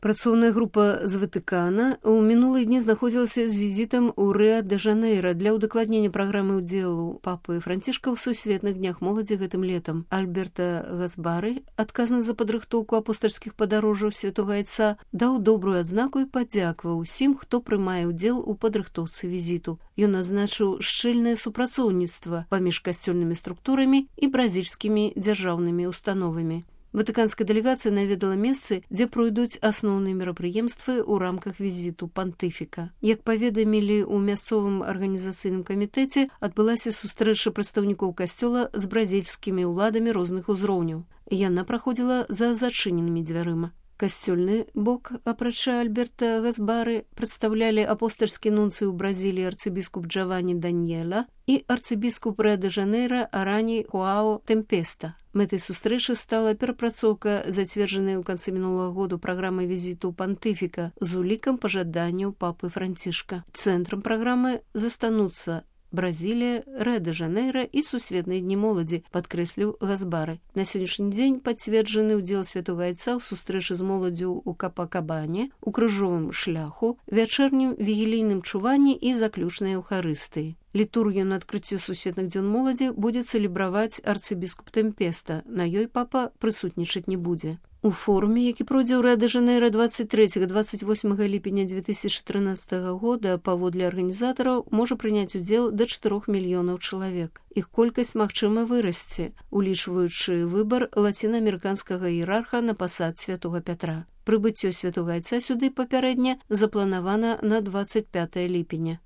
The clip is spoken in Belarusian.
Працоўная група з Ватыкана ў мінулыя дні знаходзілася з візітам у Рыа-де-Жанейра для ўдакладнення праграмы ўдзелу папы Францішка ў сусветных днях моладзі гэтым летам. Альберта Гасбары, адказны за падрыхтоўку апостальскіх падарожжаў Святога Айца, даў добрую адзнаку і падзякаваў усім, хто прымае ўдзел у падрыхтоўцы візіту. Ён азначыў шчыльнае супрацоўніцтва паміж касцёльнымі структурамі і бразільскімі дзяржаўнымі установамі. Ватыканская дэлегацыя наведала месцы, дзе пройдуць асноўныя мерапрыемствы ў рамках візіту пантыфіка. Як паведамілі ў мясцовым арганізацыйным камітэце, адбылася сустрэча прадстаўнікоў касцёла з бразільскімі ўладамі розных узроўняў. Яна праходзіла за зачыненымі дзвярыма. Касцёльны бок, апрача Альберта Гасбары, прадстаўлялі апостальскі нунцый у Бразіліі арцыбіскуп Джаванні Даньеля і арцыбіскуп Рыа-де-Жанейра Арані Хуао Тэмпеста. Мэтай сустрэчы стала перапрацоўка зацверджанай у канцы мінулага году праграмы візіту пантыфіка з улікам пажаданняў папы Францішка. Цэнтрам праграмы застануцца Бразілія, Рыа-де-Жанейра і сусветныя дні моладзі, падкрэсліў Гасбары. На сённяшні дзень пацверджаны ўдзел Святога Айца ў сустрэчы з моладдзю ў Капакабане, у крыжовым шляху, вячэрнім вігілійным чуванні і заключнай эўхарыстыі. Літургію на адкрыццё сусветных дзён моладзі будзе цэлебраваць арцыбіскуп Тэмпеста. На ёй папа прысутнічаць не будзе. У форуме, які пройдзе ў Рыа-де-Жанейра 23-28 ліпеня 2013 года, паводле арганізатараў, можа прыняць удзел да 4 мільёнаў чалавек. Іх колькасць магчыма вырасце, улічваючы выбар лацінаамерыканскага іерарха на пасад святога Пятра. Прыбыццё Святога Айца сюды папярэдне запланавана на 25 ліпеня.